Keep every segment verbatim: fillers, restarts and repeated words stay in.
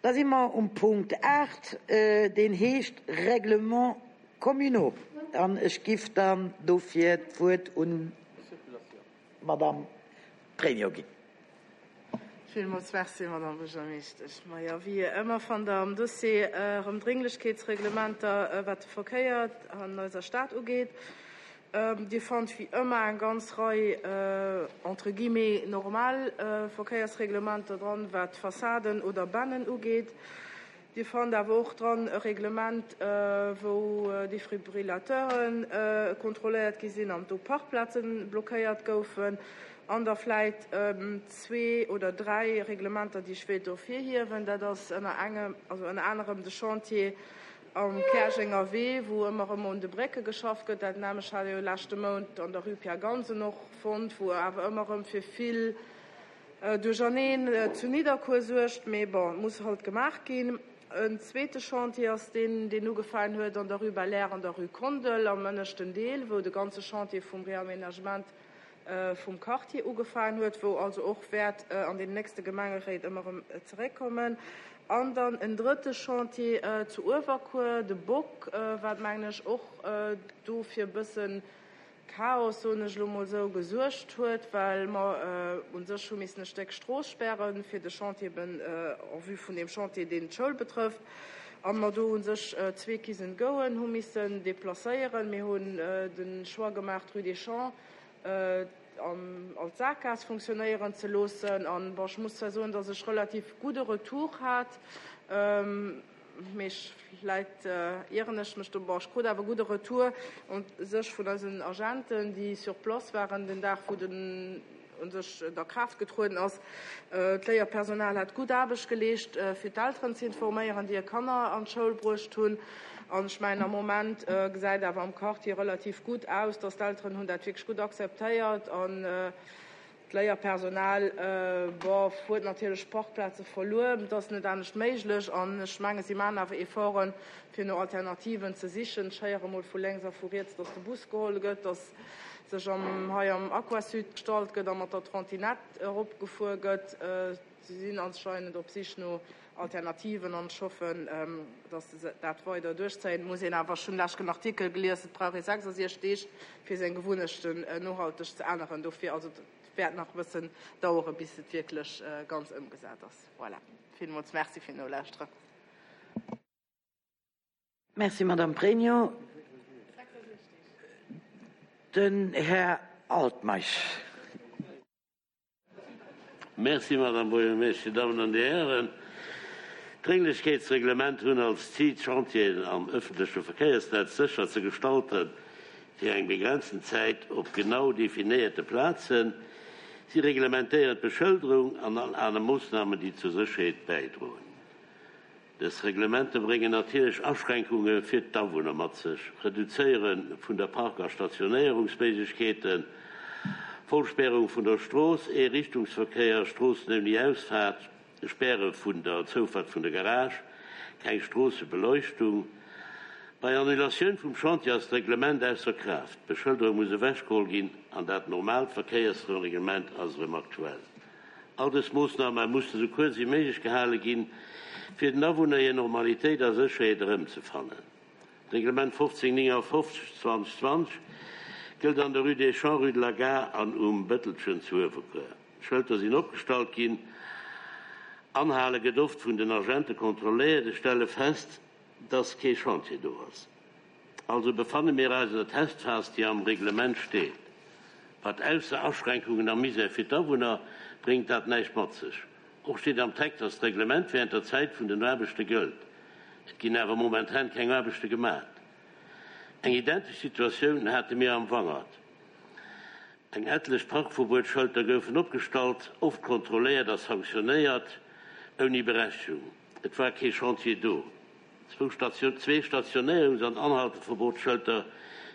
Da si mer um Punkt aacht, deen heescht Règlements communaux. An ech giff dann dofir d'Wuert un d'Madame Pregno ginn. Villmools Merci, Madame Buergermeeschtesch. Majo, wéi ëmmer fannt Der am Dossier erëm Drénglechkeetsreglementer, wat de Verkéier an eiser Stad ugeet. Dir fannt wéi ëmmer eng ganz Rei entre guillemets normal Verkéiersreglementer dran, wat Fassaden oder Bennen ugeet. Dir fannt awer och dran e Reglement, wou Defibrillateure kontrolléiert gi sinn an do Parkplaze blockéiert goufen. An da vläit zwee oder dräi Reglementer, déi ech wéilt ervirhiewen. Dat ass ënner engem, also ënner anerem de Chantier am Käerjenger Wee, wou ëmmer erëm un de Brécke geschafft gëtt. Dat nämlech hat ee jo leschte Mount an der Rue Pierre Gansen och fonnt, wou awer ëmmer erëm fir vill Duercherneen zu Nidderkuer suergt. Mee bon, et muss halt gemaach ginn. En zweete Chantier ass deen, deen ugefaangen huet an der Rue Belair an der Rue Kondel am ënneschten Deel, wou de ganze Chantier vum Réaménagement vum Quartier ugefaangen huet, wou also och wäert an den nächste Gemengeréit ëmmer erëm zeréckkommen. An dann en drëtte Chantier zu Uewerkuer, de Bock, wat, mengen ech, och do fir e bësse Chaos, soen ech elo mol esou, gesuergt huet, well mer u sech hu missen e Stéck Strooss spären, fir de Chantier eben en vue vun deem Chantier, deen d'Schoul betrëfft, a mer do u sech zwee Kiss-and-Goen hu missen deplacéieren. Mir hunn de Choix gemaach, d'Rue des Champs als Saakgaass funktionéieren ze loossen. An, bon, ech muss zwar soen, dass ech relativ gudde Retour hat, mee ech, vläit ieren ech mech do, bon, ech krut awer gudde Retour u sech vun eisen Agenten, déi sur place waren den Dag, wou den u sech a Kraaft getrueden ass. D'Léierpersonal hat gutt Aarbecht geleescht, fir d'Elteren ze informéieren, déi hir Kanner an d'Schoul bruecht hunn. An ech mengen, am Moment gesäit awer am Quartier relativ gutt aus, dass d'Elteren hunn dat wierklech gutt akzeptéiert an d'Léierpersonal, bof, huet natierlech Parkplaze verluer. Et ass net anescht méiglech an ech menge si maachen awer Efforten, fir no Alternativen ze sichen. Ech héiere mol vu lénks a vu riets, dass de Bus geholl gëtt, dass sech am hei am Aquasud gestallt gëtt a mat der Trottinette eropgefuer gëtt. Si sinn anscheinend op Sich no Alternativen an ech hoffen, dass se dat weider duerchzéien. Et muss een awer, ech hunn leschten Artikel gelies, et brauch ee sechsasiechzeg Deeg, fir seng Gewunnechten nohalteg ze änneren. Dofir, also et wäert nach e bëssen dauere bis et wierklech ganz ëmgesat ass. Voilà. Villmools Merci fir Nolauschteren. Merci, Madame Pregno. Den Här Altmeisch. Merci, Madame Buergermeeschter. Dir Dammen an Dir Hären, d'Drénglechkeetsreglement hunn als Zil, d'Chantieren am ëffentleche Verkéiersnetz sécher ze gestalten, fir eng begrenzten Zäit op genau definéierte Plazen. Si reglementéieren d'Beschëlderung an all aner Moossnamen, déi zur Sécherheet bäidroen. Dës Reglementer bréngen natierlech Aschränkunge fir d'Awunner mat sech, Reduzéiere vun der Park a Stationéierungsméiglechkeeten, Vollspärung vun der Strooss, Eerichtungsverkéier, Stroossen ouni Ausfaart, Späre vun der Zoufahrt vun der Garage, keng Stroossebeleuchtung. Bei Annulatioun vum Chantier ass d'Reglement ausser Kraaft, d'Beschëlderung muss ewechgeholl ginn an dat normaalt Verkéiersreglement ass erëm aktuell. All dës Moossname mussen esou kuerz wéi méiglech gehale ginn, fir den Awunner hir Normalitéit a Sécherheet erëmzefannen. D'Reglement fofzéng néngafofzeg zwanzeg zwanzeg gëllt an der Rue des Champs, Rue de la Gare an um Bëttelchen zu Uewerkuer. D'Schëlter sinn opgestallt ginn. Anhale gëtt oft vun den Agente kontrolléiert. Ech stelle fest, dass kee Chantier do ass. Also befanne mir eis an der Testphas, déi am Reglement steet. Wat ausser Aschränkungen a Misär fir d'Awunner, bréngt dat näischt mat sech. Och steet am Text, dass d'Reglement während der Zäit vun den Aarbechte gëllt. Et ginn awer momentan keng Aarbechte gemat. Eng identesch Situatioun hate mir am Wangert. Eng etlech Parkverbuetschëlter goufen opgestallt, oft kontrolléiert a sanktionéiert, ouni Berechtegung. Et war kee Chantier do. Zwou Zwee Stationéierungs an Anhalteverbotsschëlter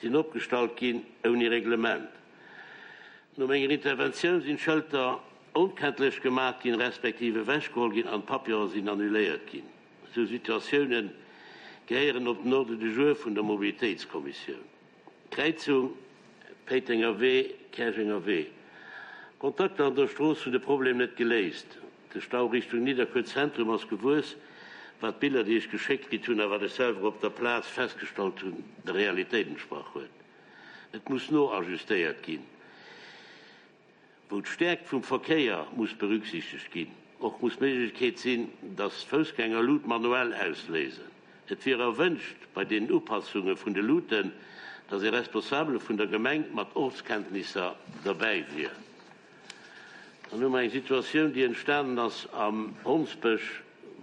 sinn opgestallt ginn, ouni Reglement. No menger Interventioun sinn d'Schëlter onkenntlech gemat ginn, respektiv ewechgeholl ginn an d'Papierë sinn annuléiert ginn. Esou Situatioune gehéieren op den Ordre du jour vun der Mobilitéitskommissioun. Kräizung Péitenger Wee, Käerjenger Wee, Kontakter an der Strooss hunn de Problem net geléist. De Stau Richtung Nidderkuer Zentrum ass gewuess, wat d'Biller, déi ech geschéckt kritt hunn a wat ech selwer op der Plaz festgestallt hunn, der Realitéit entsprach huet. Et muss noajustéiert ginn, wou d'Stäerkt vum Verkéier muss berücksichtegt ginn. Och muss d'Méiglechkeet sinn, dass d'Foussgänger Lut manuell ausléisen. Et wier erwënscht bei deenen Upassunge vun de Luten, dass ee Responsabele vun der Gemeng mat Ortskenntnisser derbäi wier. Dann hu mer eng Situatioun, déi entstanen ass am Hondsbësch,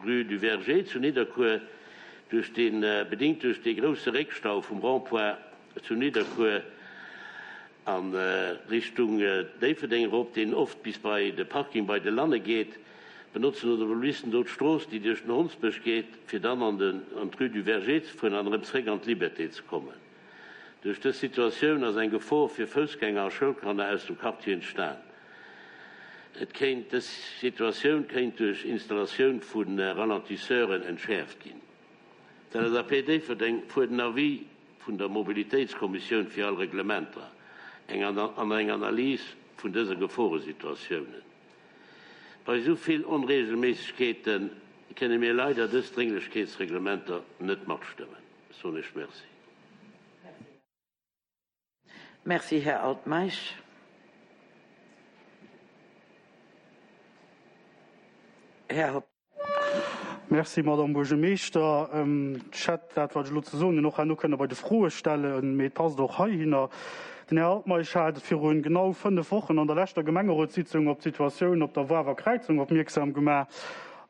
rue du Verger zu Nidderkuer, duerch dee, bedingt duerch dee grousse Réckstau vum Rond-point zu Nidderkuer a Richtung Déifferdeng erop, deen oft bis bei de Parking bei de Lanne geet, benotzen Automobilisten do d'Strooss, déi duerch den Hondsbësch geet, fir dann an den, an d'rue du Verger ze fueren an erëm zréck an d'Liberté ze kommen. Duerch dës Situatioun ass eng Gefor fir Foussgänger a Schoulkanner aus dem Quartier entstan. Et kéint, dës Situatioun kéint duerch Installatioun vu Ralentisseuren entschäerft ginn. D'LSAP Déifferdeng fuert en Avis vun der Mobilitéitskommissioun fir all Reglementer eng an eng Analys vun dëse Geforesituatiounen. Bei esou vill Onreegelméissegkeete kënne mir leider dës Drénglechkeetsreglementer net matstëmmen. Ech soen Iech Merci. Merci, Här Altmeisch. Här Hopp. Merci, Madame Buergermeeschter. Ech hätt dat, wat ech elo ze soen hunn, och herno kënne bei de Froe stellen, mee et passt och heihinner. Den Här Altmeisch hat virun genau fënnef Wochen an der leschter Gemengerotssitzung op d'Situatioun op der Wawer Kräizung opmierksam gemaach.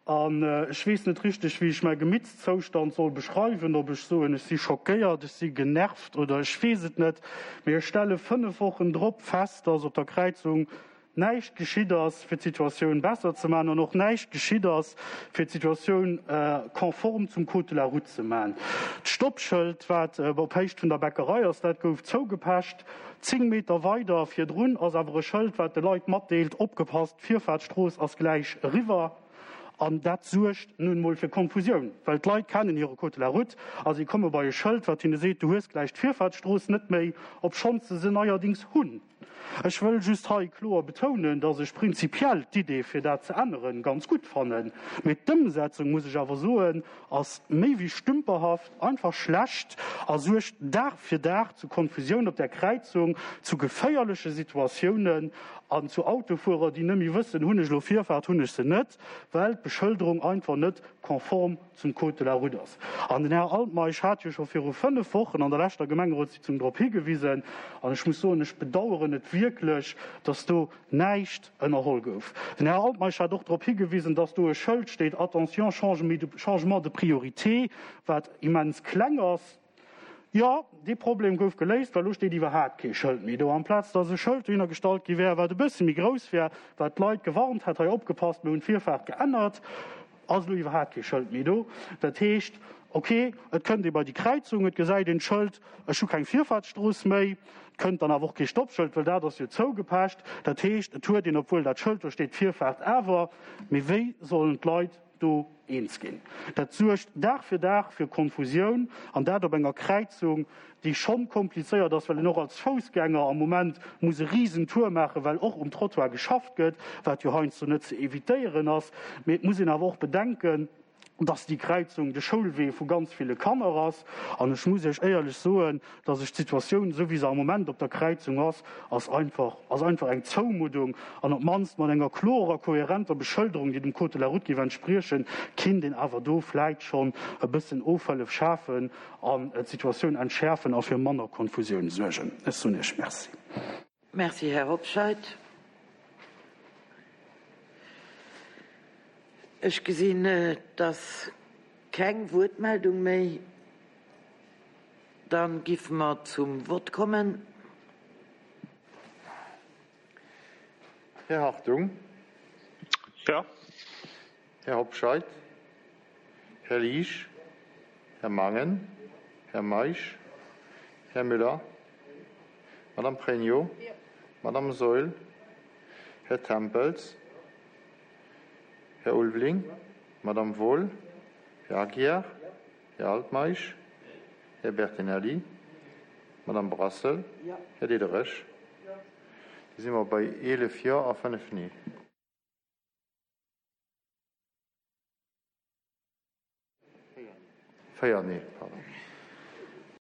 An ech weess net richteg, wéi ech mäi Gemittszoustand soll beschreiwen, ob ech soen, ech si schockéiert, ech si genervt oder ech weess et net. Mee ech stelle fënnef Wochen drop fest, dass op der Kräizung näischt geschitt ass, fir d'Situatioun besser ze maachen, an och näischt geschitt ass, fir d'Situatioun konform zum Code de la route ze maachen. D'Stoppschëld, wat op Héicht vun der Bäckerei ass, dat gouf zougepecht. Zéng Meter weider virdrun ass awer e Schëld, wat de Leit matdeelt, Opgepasst, d'Virfaartsstrooss ass gläich eriwwer. An dat suergt nun emol fir Konfusioun, well d'Leit kennen hire Code de la route a si komme bei e Schëld, wat hinne seet, du hues gläich d'Virfaartsstrooss net méi, obschonns se se neierdings hunn. Ech wëll just hei kloer betounen, dass ech prinzipiell d'Idee, fir dat ze änneren, ganz gutt fannen. Mee d'Ëmsetzung, muss ech awer soen, ass méi wéi stümperhaft, einfach schlecht a suergt Dag fir Dag zu Konfusioun op där Kräizung, zu geféierleche Situatiounen an zu Autofuerer, déi net méi wëssen, Hunn ech elo Virfaart, hunn ech se net, well d'Beschëlderung einfach net konform zum Code de la route ass. An den Här Altmeisch hat jo scho viru fënnef Wochen an der leschter Gemengerotssitzung drop higewisen, an ech muss soen, ech bedauern et wierklech, dass do näischt ënnerholl gouf. Den Här Altmeisch hat och drop higewisen, dass do e Schëld steet, Attention, changement de priorité, wat immens kleng ass. Jo, dee Problem gouf geléist, well elo steet iwwerhaapt kee Schëld méi do. Amplaz dass e Schëld dohinner gestallt gi wär, wat e bësse méi grouss wär, wat d'Leit gewarnt hätt, hei opgepasst, mir hunn d'Virfaart geännert, ass elo iwwerhaapt kee Schëld méi do. Dat heescht, ok, et kënnt ee bei déi Kräizung, et gesäit een d'Schëld, ech hu keng Virfaartsstrooss méi, et kënnt dann awer och kee Stoppschëld, well dat ass jo zougepecht. Dat heescht, et huet een, obwuel dat Schëld do steet, d'Virfaart awer. Mee wéi sollen d'Leit do eens ginn? Dat suergt Dag fir Dag fir Konfusioun, an dat op enger Kräizung, déi schonn komplizéiert ass, well een och als Foussgänger am Moment muss e Risentour maachen, well och um Trottoir geschafft gëtt, wat jo heiansdo net ze evitéieren ass. Mee et muss een awer och bedenken, dass déi Kräizung de Schoulwee vu ganz ville Kanner ass. An ech muss Iech éierlech soen, dass ech d'Situatioun, esou wéi se am Moment op der Kräizung ass, ass einfach, ass einfach eng Zoumuddung. An op d'mannst mat enger klorer, kohärenter Beschëlderung, déi dem Code de la route géif entspriechen, kinnt een awer do vläit schonn e bëssen Ofhëllef schafen an d'Situatioun entschäerfen a fir manner Konfusioun suergen. Ech soen Iech Merci. Merci, Här Hobscheit. Ech gesinn, dass keng Wuertmeldung méi. Dann giffe mer zum Vott kommen. Här Hartung. Ja. Här Hobscheit. Här Liesch. Här Mangen. Här Meisch. Här Müller. Madame Pregno. Ja. Madame Saeul. Här Tempels. Här Ulveling. Madame Wohl. Här Aguiar. Här Altmeisch. Här Bertinelli. Madame Brassel. Ja. Här Diderich. Da si mer bei eelef Jo a fënnef Nee. Véier, nee, pardon.